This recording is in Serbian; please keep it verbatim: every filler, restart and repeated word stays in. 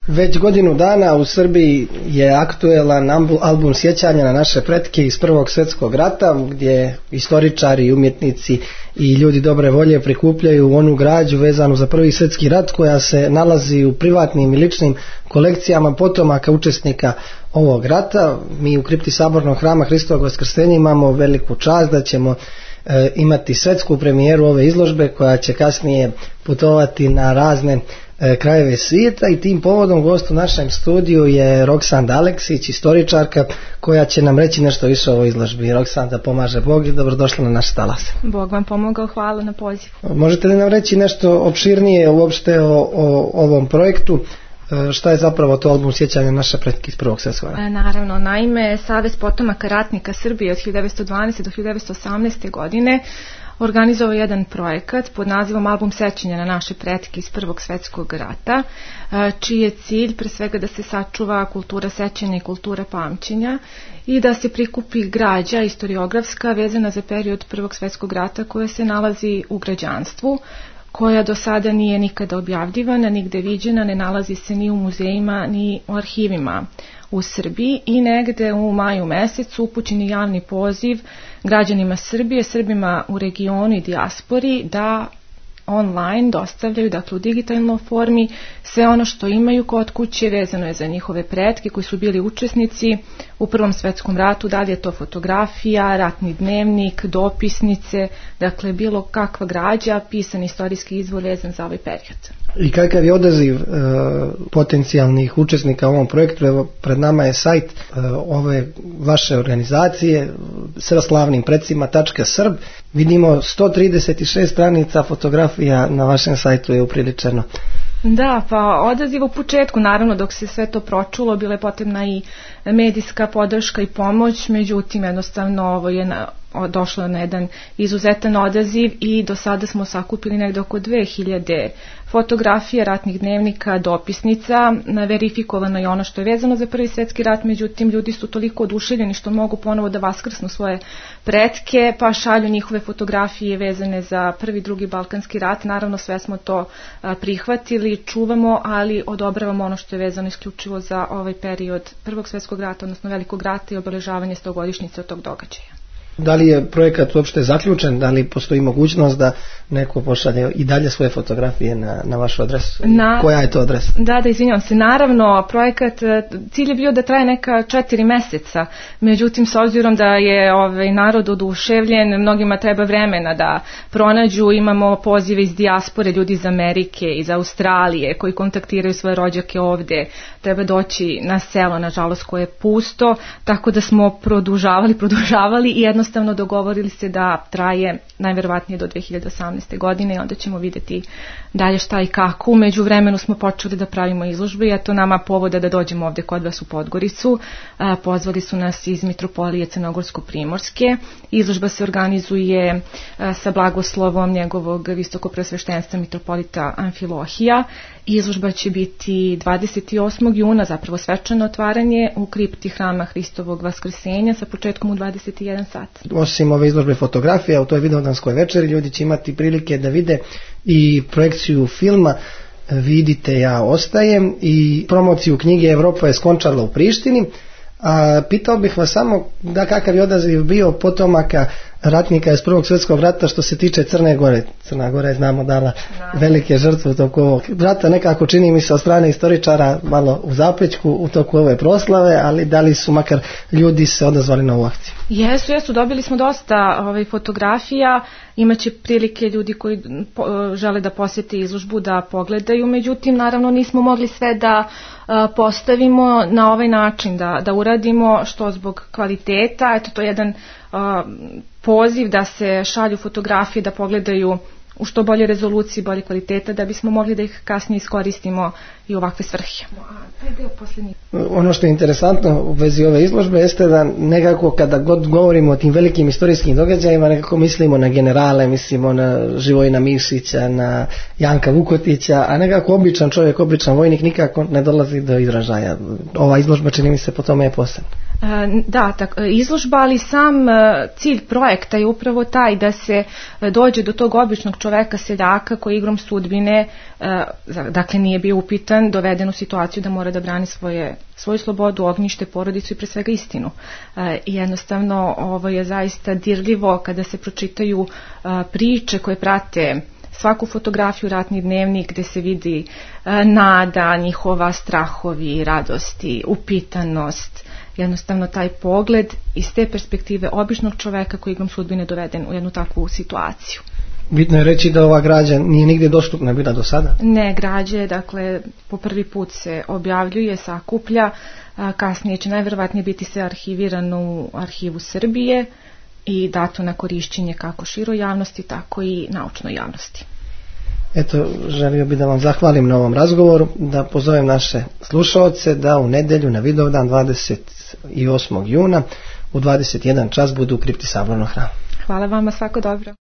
Već godinu dana u Srbiji je aktuelan album sjećanja na naše pretke iz Prvog svjetskog rata, gdje istoričari, umjetnici i ljudi dobre volje prikupljaju onu građu vezanu za Prvi svjetski rat koja se nalazi u privatnim i ličnim kolekcijama potomaka učesnika ovog rata. Mi u kripti Sabornog hrama Hristovog Vaskrsenja imamo veliku čast da ćemo e, imati svjetsku premijeru ove izložbe koja će kasnije putovati na razne krajeve svijeta i tim povodom gost u našem studiju je Roksanda Aleksić, istoričarka koja će nam reći nešto više o ovoj izložbi. Roksanda, pomaže Bog i dobrodošla na naš talas. Bog vam pomogao, hvala na pozivu. Možete li nam reći nešto opširnije uopšte o, o ovom projektu? Šta je zapravo to album sjećanja naše pretke iz Prvog svjetskog rata? Naravno, naime, Savez potomaka ratnika Srbije od hiljadu devetsto dvanaeste do hiljadu devetsto osamnaeste godine organizovao jedan projekat pod nazivom Album sjećanja na naše pretke iz Prvog svjetskog rata, čiji je cilj pre svega da se sačuva kultura sećanja i kultura pamćenja i da se prikupi građa istoriografska vezana za period Prvog svjetskog rata koja se nalazi u građanstvu, koja do sada nije nikada objavljivana, nigde viđena, ne nalazi se ni u muzejima ni u arhivima u Srbiji i negde u maju mesecu upućen je javni poziv građanima Srbije, Srbima u regionu i dijaspori da online dostavljaju, dakle u digitalnoj formi, sve ono što imaju kod kuće vezano je za njihove pretke koji su bili učesnici u Prvom svjetskom ratu, da li je to fotografija, ratni dnevnik, dopisnice, dakle bilo kakva građa, pisan istorijski izvor vezan za ovaj period. I kakav je odaziv e, potencijalnih učesnika u ovom projektu? Evo, pred nama je sajt e, ove vaše organizacije sa slavnim predsima tačka srb. Vidimo sto trideset šest stranica fotografija na vašem sajtu je upriličeno. Da, pa odaziv u početku, naravno dok se sve to pročulo, bila je potrebna i medijska podrška i pomoć, međutim jednostavno ovo je na, došlo na jedan izuzetan odaziv i do sada smo sakupili negde oko dve hiljade fotografija, ratnih dnevnika, dopisnica, verifikovano je ono što je vezano za Prvi svjetski rat, međutim ljudi su toliko oduševljeni što mogu ponovo da vaskrsnu svoje pretke, pa šalju njihove fotografije vezane za Prvi, Drugi Balkanski rat. Naravno sve smo to prihvatili, čuvamo, ali odobravamo ono što je vezano isključivo za ovaj period Prvog svjetskog rata, odnosno Velikog rata i obeležavanje stogodišnjice od tog događaja. Da li je projekat uopšte zaključen? Da li postoji mogućnost da neko pošalje i dalje svoje fotografije na, na vašu adresu? Na, koja je to adresa? Da, da, izvinjavam se. Naravno, projekat, cilj je bio da traje neka četiri meseca. Međutim, s obzirom da je ovaj narod oduševljen, mnogima treba vremena da pronađu. Imamo pozive iz dijaspore, ljudi iz Amerike, iz Australije, koji kontaktiraju svoje rođake ovde. Treba doći na selo, nažalost, koje je pusto, tako da smo produžavali, produžavali i jedno jednostavno dogovorili se da traje najverovatnije do dve hiljade osamnaeste. godine i onda ćemo vidjeti dalje šta i kako. U međuvremenu smo počeli da pravimo izložbe i eto nama povoda da dođemo ovde kod vas u Podgoricu. Pozvali su nas iz Mitropolije Crnogorsko-Primorske. Izložba se organizuje sa blagoslovom njegovog visokopreosveštenstva mitropolita Amfilohija. Izložba će biti dvadeset osmog juna, zapravo svečano otvaranje u kripti hrama Hristovog Vaskrsenja sa početkom u dvadeset jedan sat. Osim ove izložbe fotografija u toj vidovdanskoj večeri, ljudi će imati prilike da vide i projekciju filma Vidite, ja ostajem i promociju knjige Evropa je skončala u Prištini. A pitao bih vas samo da kakav je odaziv bio potomaka ratnika iz Prvog svjetskog rata što se tiče Crne Gore. Crna Gora je, znamo, dala velike žrtve u toku ovog rata, nekako čini mi se od strane istoričara malo u zapećku u toku ove proslave, ali da li su makar ljudi se odazvali na ovu akciju? Jesu, jesu, dobili smo dosta ovaj, fotografija, imaće prilike ljudi koji po, žele da posjete izložbu da pogledaju, međutim naravno nismo mogli sve da a, postavimo na ovaj način, da, da uradimo što zbog kvaliteta, eto to je jedan a, poziv da se šalju fotografije, da pogledaju u što bolje rezoluciji, bolje kvaliteta, da bismo mogli da ih kasnije iskoristimo i u ovakve svrhe. Ono što je interesantno u vezi ove izložbe jeste da nekako kada god govorimo o tim velikim istorijskim događajima nekako mislimo na generale, mislimo na Živojina Mišića, na Janka Vukotića, a nekako običan čovjek, običan vojnik nikako ne dolazi do izražaja. Ova izložba čini mi se po tome je posebna. Da, tak, izložba, ali sam cilj projekta je upravo taj da se dođe do tog običnog čoveka seljaka koji igrom sudbine, dakle nije bio upitan, doveden u situaciju da mora da brani svoje, svoju slobodu, ognjište, porodicu i pre svega istinu. I jednostavno ovo je zaista dirljivo kada se pročitaju priče koje prate svaku fotografiju, ratni dnevnik, gde se vidi nada, njihova strahovi, radosti, upitanost, jednostavno taj pogled iz te perspektive običnog čoveka koji igrom sudbine doveden u jednu takvu situaciju. Bitno je reći da ova građa nije nigde dostupna bila do sada? Ne, građe, dakle, po prvi put se objavljuje, sakuplja, kasnije će najverovatnije biti sve arhivirano u arhivu Srbije i dato na korišćenje kako široj javnosti, tako i naučnoj javnosti. Eto, želio bih da vam zahvalim na ovom razgovoru, da pozovem naše slušaoce da u nedelju na Vidovdan dvadeset osmog juna u dvadeset jedan čas budu u kripti Sabornog hrama. Hvala vama, svako dobro.